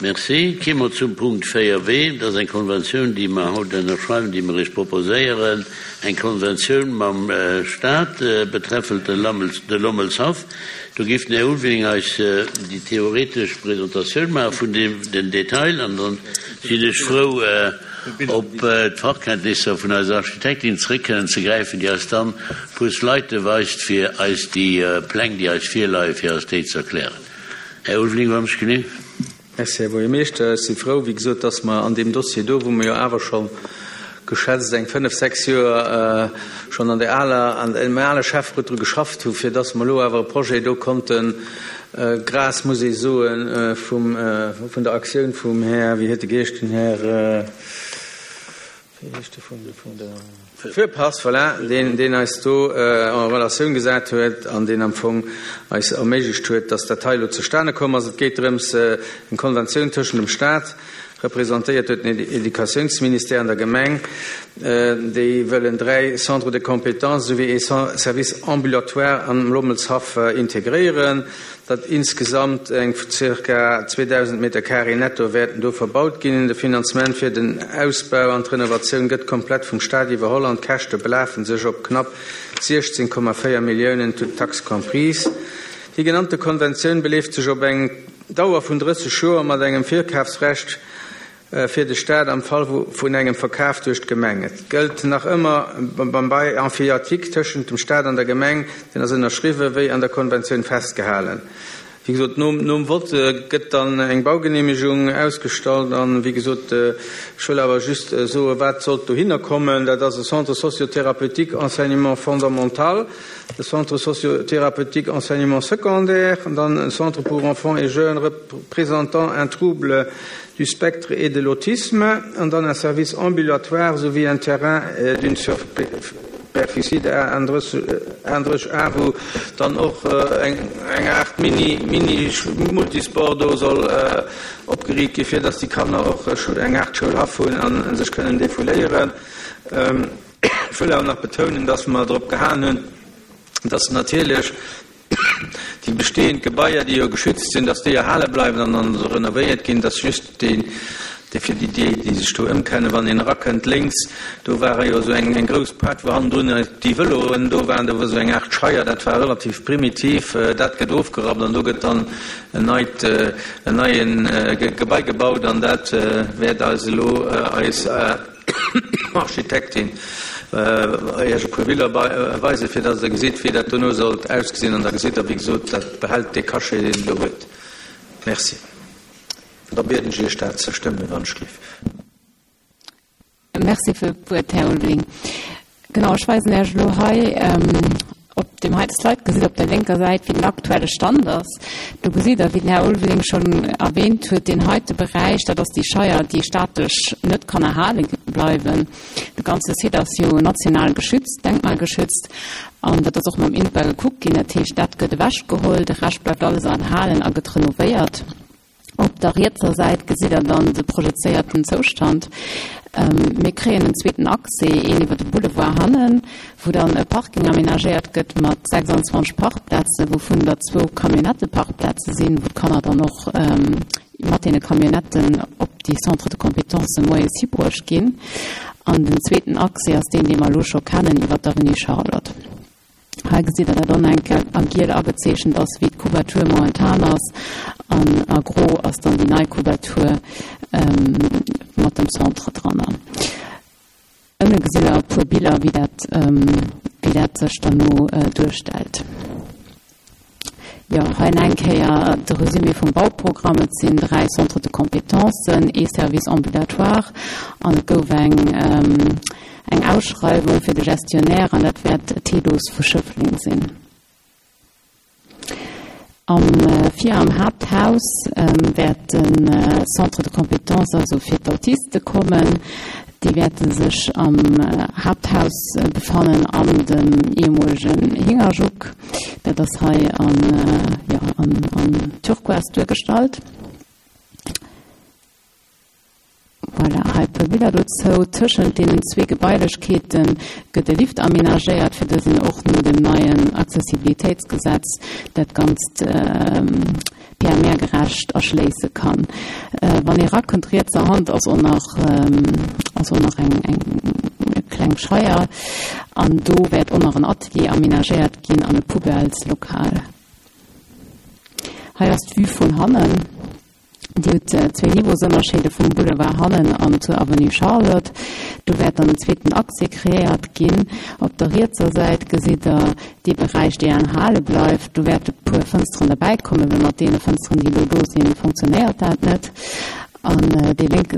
Merci. Ki mer zum Punkt 4 w. Dat ass eng Konventioun, déi mer haut ënnerschreiwen, déi mer Iech proposéieren, eng Konventioun mam Stat betreffend de Lommelshaff. Do géif den Här Ulveling eis déi theoretesch Presentatioun maache vun den Detail an dann sinn ech frou, op d'Fachkenntnisser vun eiser Architektin zréck kënnen ze gräifen, déi eis dann e puer Slide weist, fir eis déi Pläng, déi eis virleien, fir eis déi ze erklären. Här Ulveling, wann ech genee. Merci, Här Buergermeeschter. Ech si frou, wéi gesot, dass mer an deem Dossier do, wou mer jo awer scho geschätzt eng fënnf, sechs Joer schonn an der aler, an deem ale Schäfferot dru geschafft hu fir dass mer elo awer e Projet do konnten, grâce, muss ee soen, vum, vun der Aktioun vum Här, wéi huet e geheescht, den Här, Wéi heescht de vun vun der. Fürpass, voilà, deen, deen eis do en Relatioun gesat huet an deen am Fong eis erméiglecht huet, dass dat hei elo zustane komm ass. Et geet drëms, eng Konventioun tëschent dem Stat, representéiert duerch den Educatiounsministère, an der Gemeng, déi wëllen 3 Centres de compétences esouwéi ee Service ambulatoire am Lommelshaff integréieren. datt insgesamt eng zirka 2.000 Meter carré netto wäerten do verbaut ginn. De Finanzement fir den Ausbau an d'Renovatioun gëtt komplett vum Staat iwwerholl an d'Käschte belafen sech op knapp 16,4 Milliounen, toutes taxes comprises. Déi genannte Konventioun beleeft sech op eng Dauer vun 30 Joer mat engem Virkafsrecht fir de Staat am Fall vun engem Verkaf duerch d'Gemeng. Et gëllt nach ëmmer beim Bail emphytéotique tëschent dem Staat an der Gemeng, deen ass ënnerschriwwen, wéi an der Konventioun festgehalen. Wéi gesot, nom Vott gëtt dann eng Baugeneemegung ausgestallt. An, wéi gesot, ech wëll awer just soen, wat sollt dohinner kommen. Dat ass e Centre socio-thérapeutique enseignement fondamental, e Centre socio-thérapeutique enseignement secondaire, dann e Centre pour enfants et jeunes présentant un trouble du spectre et de l'autisme an dann un service ambulatoire souwéi un terrain d'une superficie de 31 Ar, wou dann och eng Aart Mini Mini-Multisport do soll opgeriicht ginn, fir dass déi Kanner och eng Aart Schoulhaff hunn a sech kënnen defouléieren. Ech wëll awer nach betounen, dass mer drop gehalen hunn, dass natierlech déi bestehend Gebaier, déi jo geschützt sinn, dass déi erhale bleiwen an dann renovéiert ginn, dass just deen, dee fir déi, déi, déi sech do ëmkennen, wann een erakënnt lénks, do ware jo esou eng, eng grouss Poart, wou hannendrun déi Vëloen do waren, do war esou eng Aart Scheier, dat war relativ primitiv, dat gëtt ofgerappt an do gëtt dann en neit, en neien Gebai gebaut an dat wäert eis elo eis. Architektin Iech e puer Biller weisen, fir dass Der gesitt, wéi dat dono sollt ausgesinn. An da gesitt Der, wéi gesot, dat behält dee Cachet, deen et elo huet. Merci. Da bieden ech Iech, dat ze stëmmen, wann ech géif. Merci fir d'Wuert, Här Ulveling. Genau, ech weisen Iech elo hei op deem heite Slide, gesitt op der lénker Säit, wéi den aktuelle Stand ass. Do gesitt Der, wéi den Här Ulveling schonn erwähnt huet, deen heite Beräich, dat ass déi Scheier, déi staatlech net kann erhale bleiwen. De ganze Site ass jo national geschützt, denkmalgeschützt, an dat ass och mam INPA gekuckt ginn. Dat heescht, dat gëtt ewechgeholl, de Rescht bleift alles erhalen a gëtt renovéiert. Op der rietser Säit gesitt der dann de projezéierten Zoustand. Mir kréien en zweeten Accès, een iwwer de Boulevard hannen, wou dann e Parking aménagéiert gëtt mat 26 Parkplazen, wouvun der zwou Camionnetteparkplaze sinn, wou d'Kanner dann och mat deene Camionnetten op déi Centres de compétences moies hibruecht ginn. An den zweeten Accès ass deen, dee mer elo scho kennen, iwwer d'Avenue Charlotte. Hei gesitt der dat och nach eng Kéier a giel agezeechent ass, wéi d'Couverture momentan ass, an a gro ass dann déi nei Couverture mat dem Centre dranner. Ënne gesitt der e puer Biller, wéi dat, wéi dat sech dann no duerstellt. Jo, hei nach eng Kéier de Resumé vum Bauprogramm. Et sinn 3 Centres de compétences, ee Service ambulatoire an et gouf eng eng Ausschreiwung fir de Gestionnaire an dat wäert d'Tedos vu Schëffleng sinn. Am vir am Haapthaus wäert de Centre de compétences also fir d'Autiste kommen. Déi wäerte sech am Haapthaus befannen an dem ehemolegen Hingerjuck. Dat ass hei an, jo, an, an Turquoise duergestallt. Voilà, hei e puer Biller dozou. Tëschent deenen zwee Gebailechkeete gëtt e Lift amenagéiert, fir dësen och no dem neien Accessibilitéitsgesetz dat Ganzt. PMR-gerecht erschléisse kann. Wann ee rakënnt, rietser Hand ass och nach ass och nach eng eng kleng Scheier an do wäert och nach en Atelier aménagéiert ginn an e Poubelleslokal. Hei ass d'Vue vun hannen. Dir hutt zwéi Niveausënnerscheede vum Boulevard hannen an zur Avenue Charlotte. Do wäert dann en zweeten Accès kreéiert ginn. Op der rietser Säit gesitt Der dee Beräich, dee erhale bleift. Do wäerte puer Fënsteren derbäikommen, well mat deene Fënsteren, déi elo do sinn, fonctionnéiert dat net. An dee lénke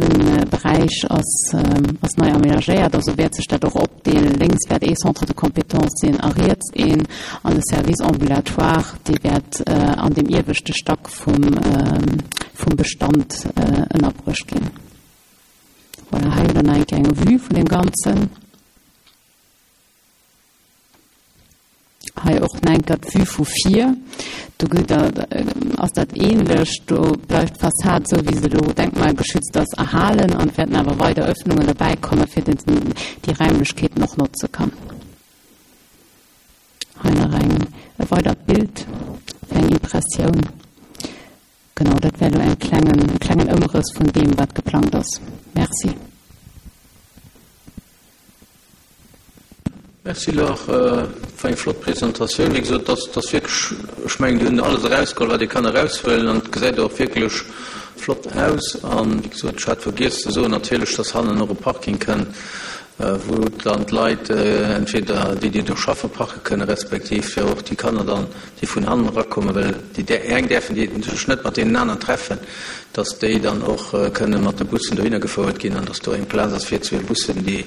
Beräich ass ass nei aménagéiert, also wäert sech dat och opdeelen. Lénks wäert ee Centre de compétences sinn a riets een. An de Service ambulatoire, dee wäert an deem ieweschte Stack vum Bestand ënnerbruecht ginn. Voilà, hei hutt Der nach eng Kéier eng Vue vun deem Ganzen. Hei och nach eng Kéier d'Vue vu vir. Do gëtt Der, ass dat ähnlech. Do bleift d'Fassad esou, wéi se elo denkmalgeschützt ass, erhalen an et wäerten awer weider Öffnungen derbäikommen, fir datt een déi Raimlechkeeten och notze kann. Hei nach eng e weidert Bild fir eng Impressioun. Genau, dat wär elo eng klengen, e klengen Ëmrëss vun deem, wat geplangt ass. Merci. Merci Laure, war eng flott Presentatioun. Wéi gesot, dat ass wierklech, ech mengen, déi hunn alles erausgeholl, wat ee kann eraushuelen an et gesäit och wierklech flott aus. An wéi gesot, ech hat vergiess ze soen natierlech, dass hannen och e Parking kënnt, wou dann d'Leit entweder déi, déi do schaffen, parke kënnen, respektiv jo och déi Kanner dann, déi vun hannen erakommen, well déi eng däerfen déi sech net mat deenen aneren treffen, dass déi dann och kënnen mat de Bussen dohinner gefouert ginn an dass do eng Plaz ass fir zwee Bussen, déi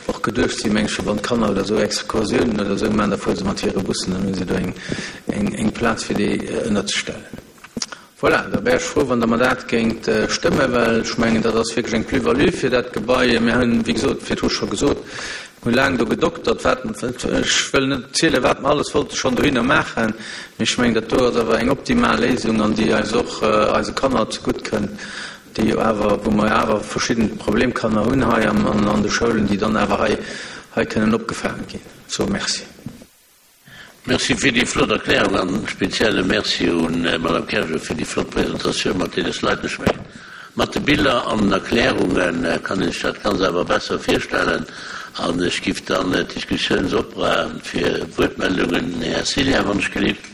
och geduecht sinn, meng ech, fir wann d'Kanner oder esou Excursiounen oder esou maachen, da fuere se mat hire Bussen, dann hu se do eng Plaz fir déi ënnerzestellen. Voilà, da wär ech frou, wann Der mer dat géingt stëmmen, well ech mengen, dat ass wierklech eng Plus-value fir dat Gebai. Mir hunn, wéi gesot, virdru scho gesot, mir hu laang do gedoktert, wat, ech wëll net zielen, wat mer alles wollte schonn dohinner maachen, mee ech mengen, dat do ass awer eng optimal Léisung an déi eis och, eise Kanner zegutt kënnt, déi jo awer, wou mer awer verschidden Problemkanner hunn hei an de Schoulen, déi dann awer hei, hei kënnen opgefaange ginn. Sou, merci. Merci fir déi flott Erklärung an speziell e Merci un Madame Kerger fir déi flott Presentatioun mat deene Sliden. Ech mengen, mat de Biller an den Erklärunge kann een sech dat Ganzt awer besser virstellen an ech giff dann d'Diskussioun opraen fir Wuertmeldungen. Här Cillien, wann ech gelift.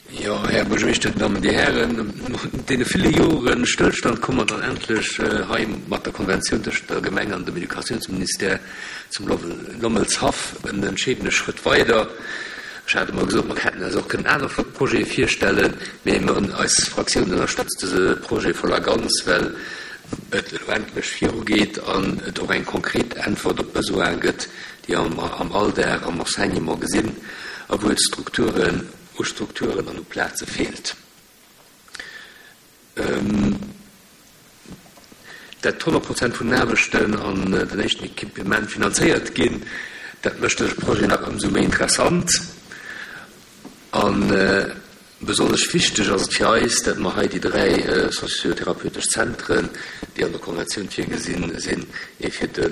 Jo, Här Buergermeeschter, Dir Dammen, Dir Hären, no deene ville Jore Stëllstand komme mer dann endlech hei mat der Konventioun tëschent der Gemeng an dem Educatiounsministère zum Lommelshaff en entscheedende Schrëtt weider. Ech hat emol gesot, mer hätten eis och kënnen aner flott Projete virstellen, mee mer, eis Fraktioun ënnerstëtzt dëse Projet voll a ganz, well et elo endlech virugeet an et och eng konkret Äntwert op d'Besoine gëtt, déi mer am Alldag am Enseignement gesinn a wou et Strukturen u Strukturen an u Plaze feelt. Dat 100 Prozent vun den Aarbechten an den éischten Equipement finanzéiert ginn, dat mécht dëse Projet nach ëmsou méi interessant. A besonnesch wichteg ass et fir eis, dat mer hei déi 3 socio-therapeutesch Zentren, déi an der Konventioun virgesinn sinn, ee fir de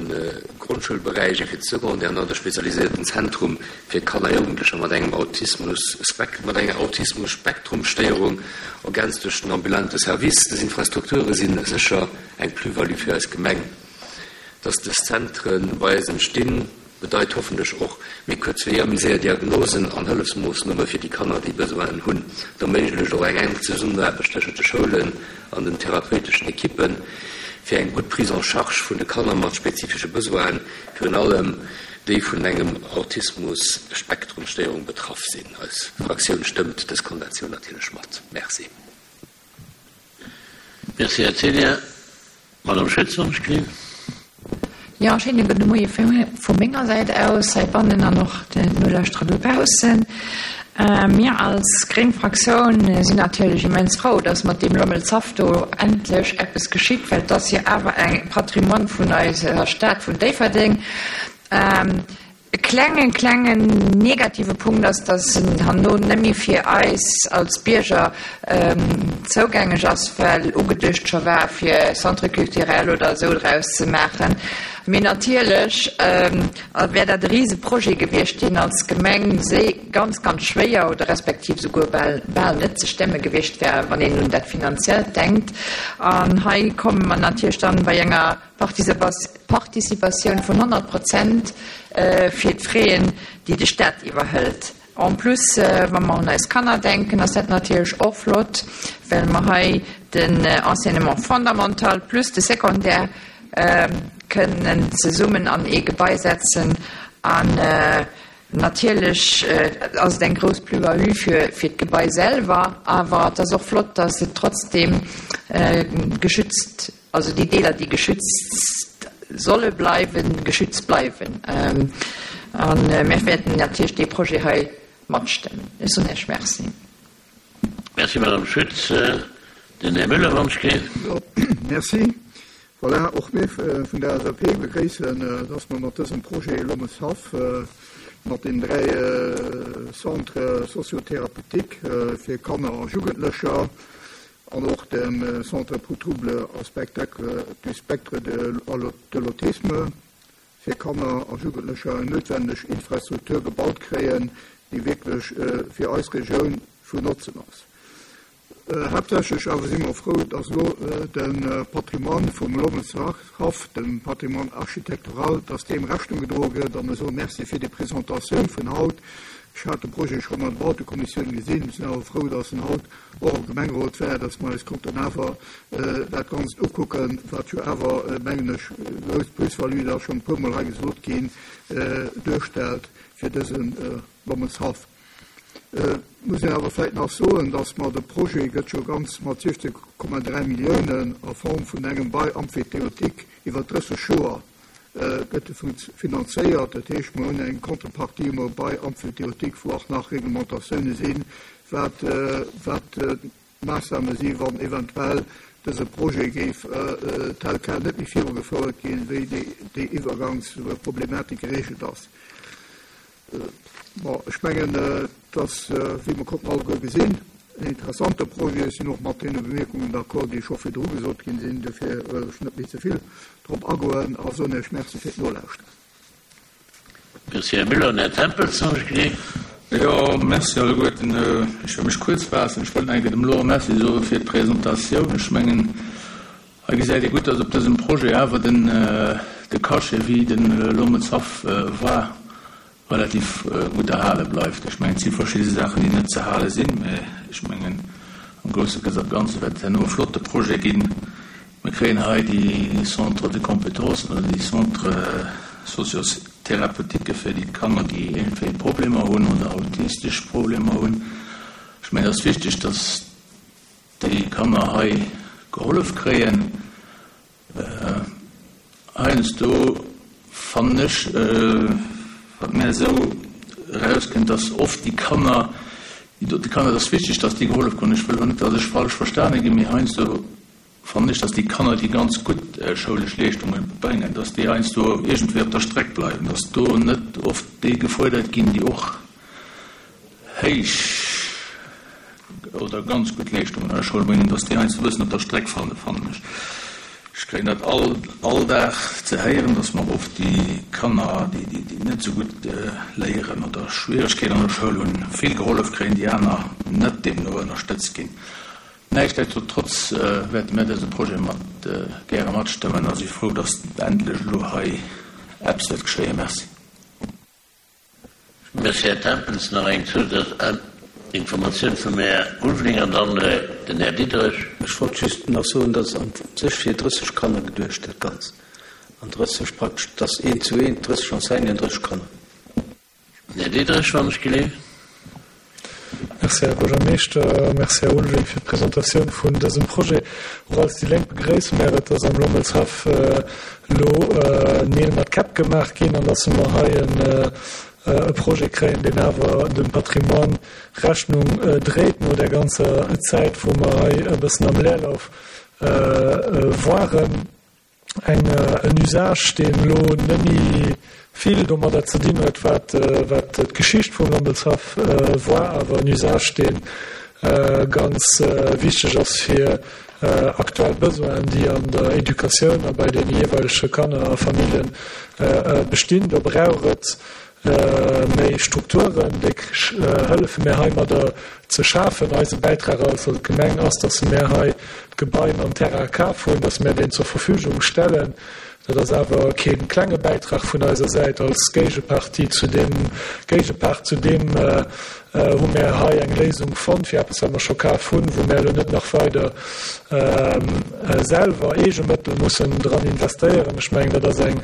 Grondschoulberäich, ee fir de Secondaire an dann de spezialiséierten Zentrum fir Kanner a Jugendlecher mat engem Autismus-Spek-, mat enger Autismus-Spektrum-Stéierung, ergänzt duerch den ambulante Service. Dës Infrastrukture si sécher eng Plus-value fir eis Gemeng. Dass dës Zentre bei eis entstinn, bedeit hoffentlech och méi kuerz Weeër, méi séier Diagnosen an Hëllefsmoossname fir déi Kanner, déi Besoinen hunn. Et erméiglecht och eng enk Zesummenaarbecht tëschent de Schoulen an den therapeuteschen Ekippen, fir eng gutt Prise en charge vun de Kanner mat spezifesche Besoinen, virun allem déi vun engem Autismus-Spektrum-Stéierung betraff sinn. Eis Fraktioun stëmmt dës Konventioun natierlech mat. Merci. Merci, Här Ceglia. Madame Schütz, wann ech gelift. Jo, schéine gudde Moie vu menger Säit aus heibannen an och den Nolauschterer dobaussen. Mir als gréng Fraktioun sinn natierlech immens frou, dass mat deem Lommelshaff do endlech eppes geschitt, well et ass jo awer e Patrimoine vun eiser Stad vun Déifferdeng. E klengen, klengen negative Punkt ass, dass en herno net méi fir eis als Bierger zougängeg ass, well ugeduecht scho war, fir Centre culturel oder esou draus ze maachen. Mee natierlech wär dat e Riseprojet gewiescht, deen als Gemeng ganz, ganz schwéier oder respektiv souguer bal, bal net ze stemme gewiescht wär, wann een un dat Finanziellt denkt. An hei komme mer natierlech dann bei enger Participatioun vun 100 Prozent fir d'Fraisen, déi de Stat iwwerhëlt. En plus, wa mer un eis Kanner denken, ass dat natierlech och flott, well mer hei den Enseignement fondamental plus de Secondaire kënnen zesummen an ee Gebai setzen. An natierlech ass et eng grouss Plus-value fir d'Gebai selwer, awer et ass och flott, dass et trotzdeem geschützt Also déi Deeler, déi geschützt solle bleiwen, geschützt bleiwen. A mir wäerten natierlech dee Projet hei matstëmmen. Ech soen Iech Merci. Merci, Madame Schütz. Den Här Müller, wann ech géif. Jo, merci. Voilà, och mir vun der LSAP begréissen, dass mer mat dësem Projet Lommelshaff, mat den 3 Centres socio-thérapeutiques fir Kanner a Jugendlecher, an och dem Centre pour troubles à spectacle du spectre de l'autisme fir Kanner a Jugendlecher eng noutwenneg Infrastruktur gebaut kréien, déi wierklech fir eis Regioun vun Notzen ass. Haaptsächlech awer si mer frou, dass elo de Patrimoine vum Lommelshaff, dem Patrimoine architectural, dass deem Rechnung gedroe gëtt. A mir soe Merci fir déi Presentatioun vun haut. Ech hat de Projet schonn an der Bautekommissioun gesinn, sinn awer frou, dass en haut och am Gemengerot war, dass mer eis konnten awer dat Ganzt ukucken, wat jo awer, mengen ech, grouss Plus-value, dat ass schonn e puermol hei gesot ginn, duerstellt fir dëse Lommelshaff. Et muss een awer vläicht nach soen, dass mer de Projet gëtt jo ganz mat 16,3 Milliounen a Form vun engem Bail emphytéotique iwwer 30 Joer gëtt e finanzéiert. Dat heescht, mer hunn eng Contrepartie emol bei Emphytéotique, wou och nach Reglementatioune sinn, wat wat d'Maassname sinn, wann eventuell dëse Projet géif tel quel net méi virugefouert ginn, wéi déi Iwwergangsproblematik geregelt ass. Bon, ech mengen, et ass, wéi mer konnten alleguer gesinn, en interessante Projet. Ech sinn och mat deene Bemierkungen d'accord, déi scho virdru gesot ginn sinn. Dofir wëll ech net méi ze vill drop agoen a soen Iech Merci fir d'Nolauschteren. Merci, Här Müller. An Här Tempels nach ech gesinn. Jo, Merci alleguerten. Ech wëll mech kuerz faassen. Ech wollt nach eng Kéier dem Laurent Merci soe fir d'Presentatioun. Ech mengen, hei gesäit ee gutt, dass op dësem Projet awer den de Cachet, wéi de Lommelshaff war, relativ gutt erhale bleift. Ech mengen, et si verschidde Saachen, déi net ze hale sinn, mä ech mengen, am grousse Ganze wäert et herno e flotte Projet ginn. Mir kréien hei déi Centres de compétences oder déi Centres socio-thérapeutiques fir déi Kanner, déi iergendwéi Problemer hunn oder autistesch Problemer hunn. Ech mengen, et ass wichteg, dass déi Kanner hei gehollef kréien. Heiansdo fannen ech, wat mär esou erauskënnt, dass oft déi Kanner, déi dote Kanner, et ass wichteg, dass déi gehollef kruten, ech wëll elo net, dass ech falsch verstane ginn, mee heiansdo fannen ech, dass déi Kanner, déi ganz gutt schoulesch Leeschtunge bréngen, dass déi heiansdo iergendwéi op der Streck bleiwen, dass do net oft déi gefuerdert ginn, déi och héich oder ganz gutt Leeschtungen an der Schoul bréngen, dass déi heiansdo e bëssen op der Streck falen, fannen ech. Ech kréien dat all all Dag ze héieren, dass mer oft déi Kanner, déi déi net esou gutt léieren oder Schwieregkeeten an der Schoul hunn, vill gehollef kréien, déi aner net deemno ënnerstëtzt ginn. Näischtdestotrotz wäerte mir dëse Projet mat gäre matstëmmen a si frou, dass endlech elo hei eppes wäert geschéien. Merci. Merci, Här Tempels. Nach eng Zousazinformatioun vum Här Ulveling an dann den Här Diderich. Ech wollt just nach soen, dass an sech fir 30 Kanner geduecht, dat Ganzt. An 30 praktesch, et ass eent zu eent, 30 Enseignanten, 30 Kanner. Den Här Diderich, wann ech geleeft. Merci, Här Buergermeeschter. Merci, Här Ulveling, fir d'Presentatioun vun dësem Projet. Och als déi Lénk begréisse mär et, dass am Lommelshaff elo Neel mat Käpp gemaach ginn an dass mer hei e Projet kréien, deen awer dem Patrimoine Rechnung dréit no där ganzer Zäit, wou mer hei e bëssen am Leerlauf waren. eng en Usage, deen elo net méi vill domadder ze dinn huet, wat wat d'Geschicht vum Lommelshaff war, awer en Usage, deen. ganz wichteg ass fir aktuell Besoinen, déi an der Educatioun a bei deene jeeweilege Kanner a Familljen bestinn. Do brauch et méi Strukturen, déi hëllefe mär heimadder ze schafen. Eise Bäitrag als Gemeng ass, dass mär hei d'Gebai mam Terrain kaf hunn, dass mär deen zur Verfügung stellen. Dat ass awer kee klenge Bäitrag vun eiser Säit als Géigepartie zu deem Géigepart zu deem hu mär hei eng Léisung fonnt fir eppes, wat mer scho kaf hunn, wou mär elo net nach weider selwer eege Mëttel mussen dran investéieren. Ech mengen, dat ass eng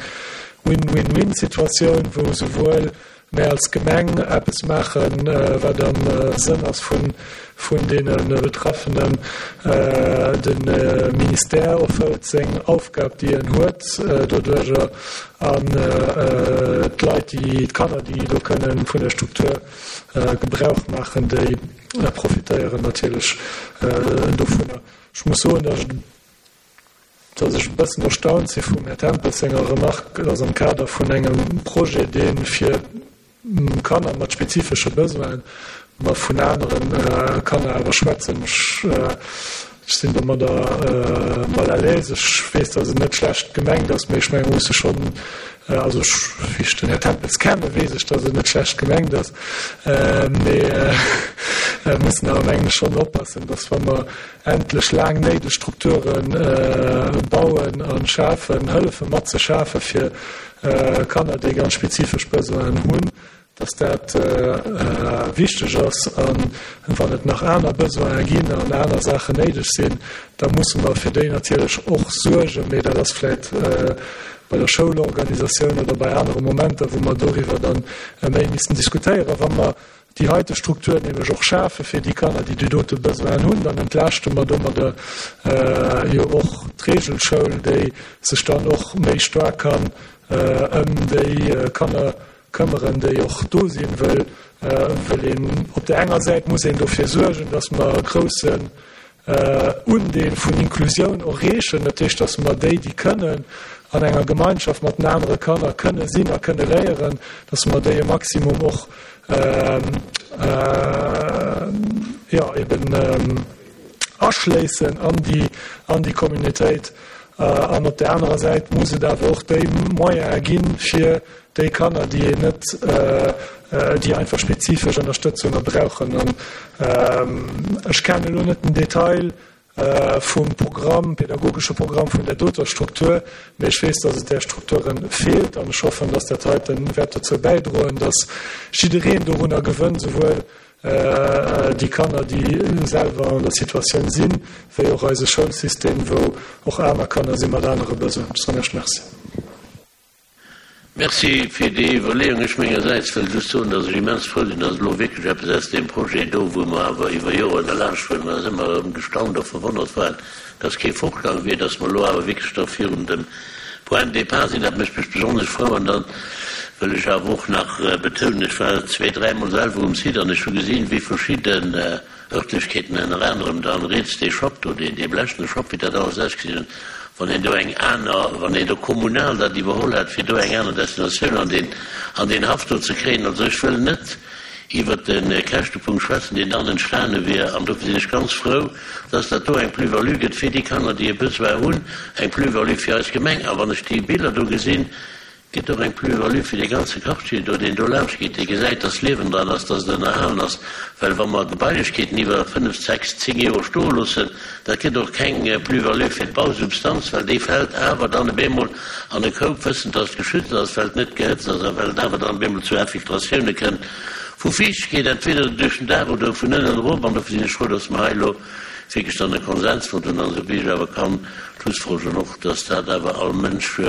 Win-win-win-Situatioun, wou souwuel mär als Gemeng eppes maachen, wat am Sënn ass vun deene Betraffenen, de Ministère erfëllt seng Aufgab, déi en huet doduerjer, an d'Leit, déi, d'Kanner, déi do kënnen vun der Struktur Gebrauch maachen, déi profitéieren natierlech dovunner. Ech muss soen, datt ech dass ech e bëssen erstaunt si vum Här Tempels senger Remarque, dass am Kader vun engem Projet, dee fir Kanner mat spezifesche Besoinen, mer vun anere Kanner awer schwätzen. Ech sinn domadder mal à l'aise. Ech weess, dass et net schlecht gemengt ass, mee ech menge mer musse schonn, also ech, wéi ech den Här Tempels kenne weess ech, dass et net schlecht gemengt ass, mee mussen awer mengen ech schonn oppassen, dass wa mer endlech laang néideg Strukture bauen a schafen, hëllefe mat ze schafe fir Kanner, déi ganz spezifesch Besoinen hunn, dass dat wichteg ass. A wann et nach aner Besoine ginn an aner Saachen néideg sinn, da musse mer fir déi natierlech och suergen. Mee dat ass vläicht bei der Schoulorganisatioun oder bei anere Momenter, wou mer doriwwer dann méi missten diskutéieren. Wa mer déi heite Struktur nämlech och schafe fir déi Kanner, déi déi dote Besoinen hunn, dann entlaaschte mer domadder jo och d'Regelschoul, déi sech dann och méi staark kann ëm déi Kanner këmmeren, déi och do sinn, wëll wëll een op där enger Säit muss een dofir suergen, dass mer e groussen Undeel vun Inklusioun erreechen, dat heescht, dass mer déi, déi kënnen an enger Gemeinschaft mat den anere Kanner kënne sinn a kënne léieren, dass mer déi e Maximum och jo eben aschléissen an déi an déi Communautéit. An op där anerer Säit muss et awer och déi Moyene ginn, fir déi Kanner, déi een net, déi einfach spezifesch Ënnerstëtzunge brauchen. An ech kennen elo net den Detail vum Programm, pädagogesche Programm vun där doter Struktur, mee ech weess, dass et där Strukture feelt. An ech hoffen, dass dat heite wäert dozou bäidroen, dass jiddereen dorunner gewënnt, souwuel déi Kanner, déi selwer an der Situatioun sinn, wéi och eise Schoulsystem, wou och aner Kanner si mat anere Besoinen. Ech soen Iech Merci. Merci fir déi Iwwerleeung. Ech mengersäits wëll just soen, dass ech immens frou sinn, dass elo wierklech eppes aus deem Projet do, wou mer awer iwwer Joren erlaanscht wuaren an eis ëmmer erëm gestaunt a verwonnert waren, dass kee fortgaang wier, dass mer elo awer wierklech da virun dem Point de départ sinn. Dat mécht mech besonnesch frou. An da wëll ech awer och nach betounen, ech war zwee-, dräimol selwer um Site an ech hu gesinn, wéi verschidden Örtlechkeeten, ënner anerem dann riets dee Schapp do, deen, dee blechene Schapp, wéi dat alles ausgesinn huet, wann een do eng aner, wann een do kommunal dat iwwerholl hätt, fir do eng aner Destinatioun an deen, an deen Haff do ze kréien. Also ech wëll net iwwert de Käschtepunkt schwätzen, deen dann entstane wier, an dofir sinn ech ganz frou, dass dat do eng Plus-value gëtt fir déi Kanner, déi e Besoin hunn, eng Plus-value fir eis Gemeng. A wann ech déi Biller do gesinn, Gëtt och eng Plus-value fir dee ganze Quartier do, deen do laanscht geet, dee gesäit, dass Liewen dran ass, dass et ënnerhalen ass. Well wa mer Gebailechkeeten iwwer fënnf, sechs, zéng Joer stoe loossen, dat gëtt och keng Plus-value fir d'Bausubstanz, well déi fält awer dann op eemol an e Koup, wëssend, dass et geschützt ass, well et net gehëtzt ass a well et awer dann op eemol zu Infiltratioune kënnt vu Fiichtegkeet, entweder duerch den Daach oder vun ënnen erop. An dofir sinn ech frou, dass mer hei elo wierklech dann e Konsens fonnt hunn an esou wéi ech awer kann schlussfolgeren och, dass dat awer all Mënsch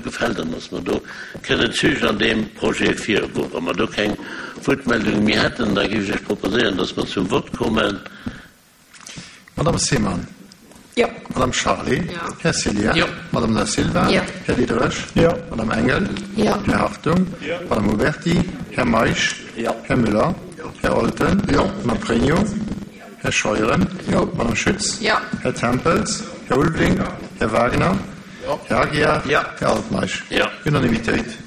gefält an dass mer do kënnen zügeg an deem Projet virugoen. Wa mer do keng Wuertmeldunge méi hätten, da géif ech Iech proposéieren, dass mer zum Vott kommen. Madame Seemann. Jo. Madame Charlé. Jo. Här Cillien. Jo. Madame Da Silva. Jo. Här Diderich. Jo. Madame Engel. Jo. Här Hartung. Jo. Madame Uberti. Här Meisch. Jo. Här Müller. Jo. Här Olten. Jo. Madame Pregno. Här Scheuren. Jo. Madame Schütz. Jo. Här Tempels. Här Ulveling. Jo. Här Wagner. Jo. Här Aguiar. Jo. Här Altmeisch. Jo. Unanimitéit.